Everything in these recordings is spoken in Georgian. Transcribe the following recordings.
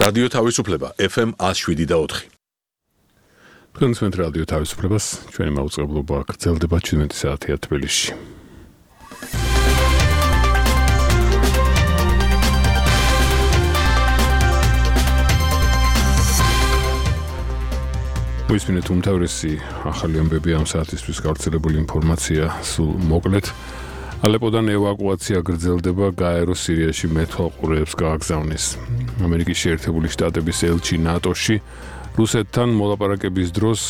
რადიო თავისუფლება FM 107.4. თქვენს რადიო თავისუფლებას ჩვენი მაუწყებლობა გრძელდება 17 საათია თბილისში. მოისმინეთ უმთავრესი ახალი ამბები ამ საათისთვის გავრცელებული ინფორმაცია სულ მოკლედ. ალეპოდან ევაკუაცია გრძელდება, გაერო სირიაში მეთვალყურეებს გააგზავნის. ამერიკის შეერთებული შტატების ელჩი ნატოში რუსეთთან მოლაპარაკების დროს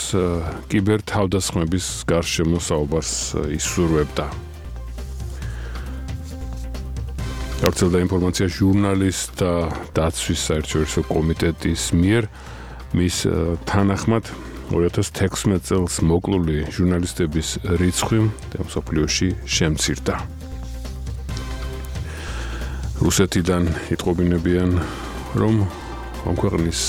კიბერთავდასხმების გარშემო საუბარს ისურვებდა. გავრცელდა ინფორმაცია ჟურნალისტთა დაცვის საერთაშორისო კომიტეტის მიერ მის თანახმად 2016 წელს მოკლული ჟურნალისტების რიცხვი მსოფლიოში შემცირდა. რუსეთიდან იტყობინებიან, რომ ამ ქვეყნის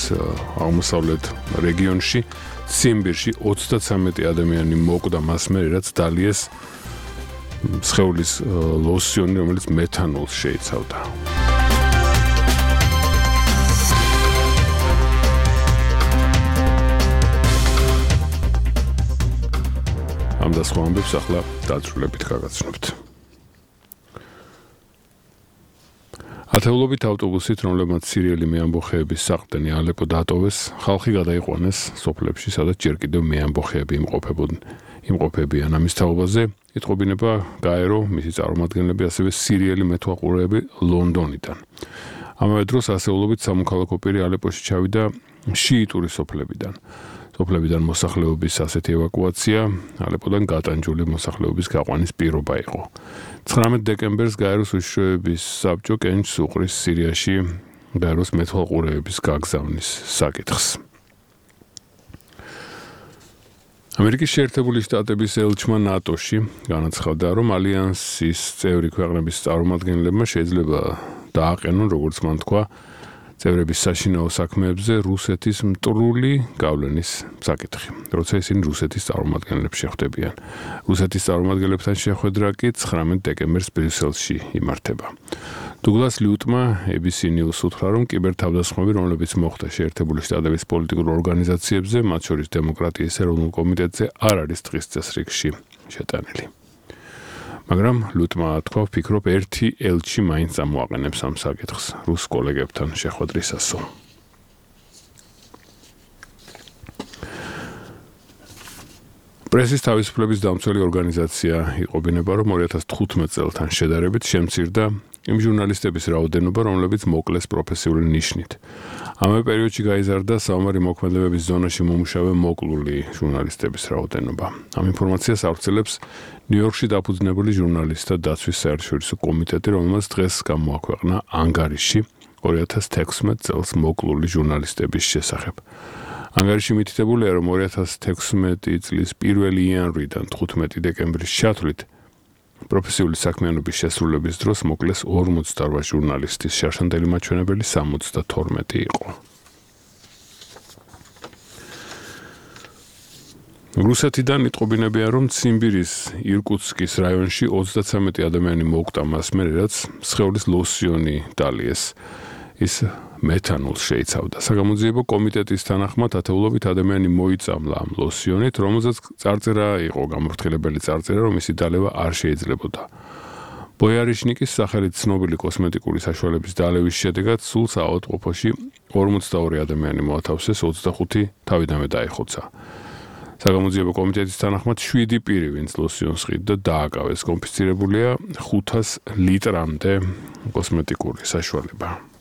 აღმოსავლეთ რეგიონში ციმბირში 33 ადამიანი მოკვდა მას მერე, რაც დალიეს სხეულის ლოსიონი, რომელიც მეთანოლს შეიცავდა. ამ და სხვა ამბებს ახლა დაწვრილებით გაგაცნობთ. ათეულობით ავტობუსით, რომლებმაც სირიელი მეამბოხეების საყრდენი ალეპო დატოვეს, ხალხი გადაიყვანეს სოფლებში, სადაც ჯერ კიდევ მეამბოხეები იმყოფებიან. ამის თაობაზე იტყობინება გაერო, მისი წარმომადგენლები, ასევე სირიელი მეთვალყურეები ლონდონიდან. ამავე დროს ასეულობით სამოქალაქო პირი ალეპოში ჩავიდა შიიტური სოფლებიდან. სოფლებიდან მოსახლეობის ასეთი ევაკუაცია ალეპოდან გატანჯული მოსახლეობის გაყვანის პირობა იყო. 19 დეკემბერს გაეროს უშიშროების საბჭო კენჭს უყრის სირიაში გაეროს მეთვალყურეების გაგზავნის საკითხს. ამერიკის შეერთებული შტატების ელჩმა ნატოში განაცხადა, რომ ალიანსის წევრი ქვეყნების წარმომადგენლებმა შეიძლება დააყენონ, როგორც მან თქვა, წევრების საშინაო საქმეებზე რუსეთის მტრული გავლენის საკითხი, როცა ისინი რუსეთის წარმომადგენლებს შეხვდებიან. რუსეთის წარმომადგენლებთან შეხვედრა კი 19 დეკემბერს ბრიუსელში იმართება. დუგლას ლიუტმა ABC News უთხრა, რომ კიბერთავდასხმები, რომლებიც მოხდა შეერთებული შტატების პოლიტიკურ ორგანიზაციებზე, მათ შორის დემოკრატიის ეროვნულ კომიტეტზე, არ არის დღის წესრიგში შეტანილი. მაგრამ ლუტმა თქვა, ვფიქრობ, ერთი ელჩი მაინც ამოაყენებს ამ საკითხს რუს კოლეგებთან შეხვედრისასო. პრესის თავისუფლების დამცველი ორგანიზაცია იყობინება, რომ 2015 წელთან შედარებით შემცირდა იმ ჟურნალისტების რაოდენობა, რომლებიც მოკლეს პროფესიული ნიშნით. ამავე პერიოდში გაიზარდა საომარი მოქმედებების ზონაში მომუშავე მოკლული ჟურნალისტების რაოდენობა. ამ ინფორმაციას ავრცელებს ნიუ-იორკში დაფუძნებული ჟურნალისტთა დაცვის საერთაშორისო კომიტეტი, რომელმაც დღეს გამოაქვეყნა ანგარიში 2016 წელს მოკლული ჟურნალისტების შესახებ. ანგარიში მითითებულია, რომ 2016 წლის 1 იანვრიდან 15 დეკემბრის ჩათვლით პროფესიული საქმიანობის შესრულების დროს მოკლეს 48 ჟურნალისტის, შარშანდელი მაჩვენებელი 72 იყო. რუსეთიდან იტყობინებიან, რომ ციმბირის ირკუტსკის რაიონში 33 ადამიანი მოკვდა მას მერე, რაც სხეულის ლოსიონი დალიეს. ის მეთანოლს შეიცავდა. საგამოძიებო კომიტეტის თანახმად ათეულობით ადამიანი მოიწამლა ამ ლოსიონით, რომელზეც წარწერა იყო, გამორთქელებელი წარწერა, რომ მისი დალევა არ შეიძლებოდა. ბოიარიშნიკის სახელით ცნობილი კოსმეტიკური საშუალების დალევის შედეგად სულ საავადმყოფოში 42 ადამიანი მოათავსეს, 25 თავიდანვე დაიხოცა. საგამოძიებო კომიტეტის თანახმად 7 პირი, ვინც ლოსიონს ყიდდა, დააკავეს. კონფისცირებულია 500 ლიტრამდე კოსმეტიკური საშუალება.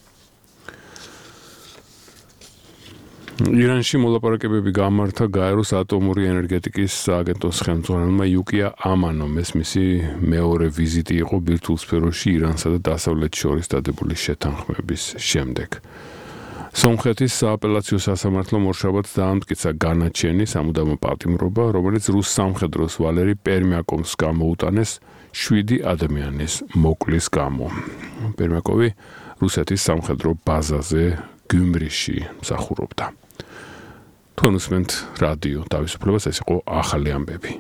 ირანში მოლაპარაკებები გამართა გაეროს ატომური ენერგეტიკის სააგენტოს ხელმძღვანელმა იუკია ამანომ. ეს მისი მეორე ვიზიტი იყო ბირთვულ სფეროში ირანსა და დასავლეთს შორის დადებული შეთანხმების შემდეგ. სომხეთის სააპელაციო სასამართლომ ორშაბათს დაამტკიცა განაჩენი სამუდამო პატიმრობა, რომელიც რუს სამხედროს ვალერი პერმიაკოვს გამოუტანეს 7 ადამიანის მოკლის გამო. პერმიაკოვი რუსეთის სამხედრო ბაზაზე გიუმრიში მსახურობდა. თქვენ უსმენთ რადიო თავისუფლებას, ეს იყო ახალი ამბები.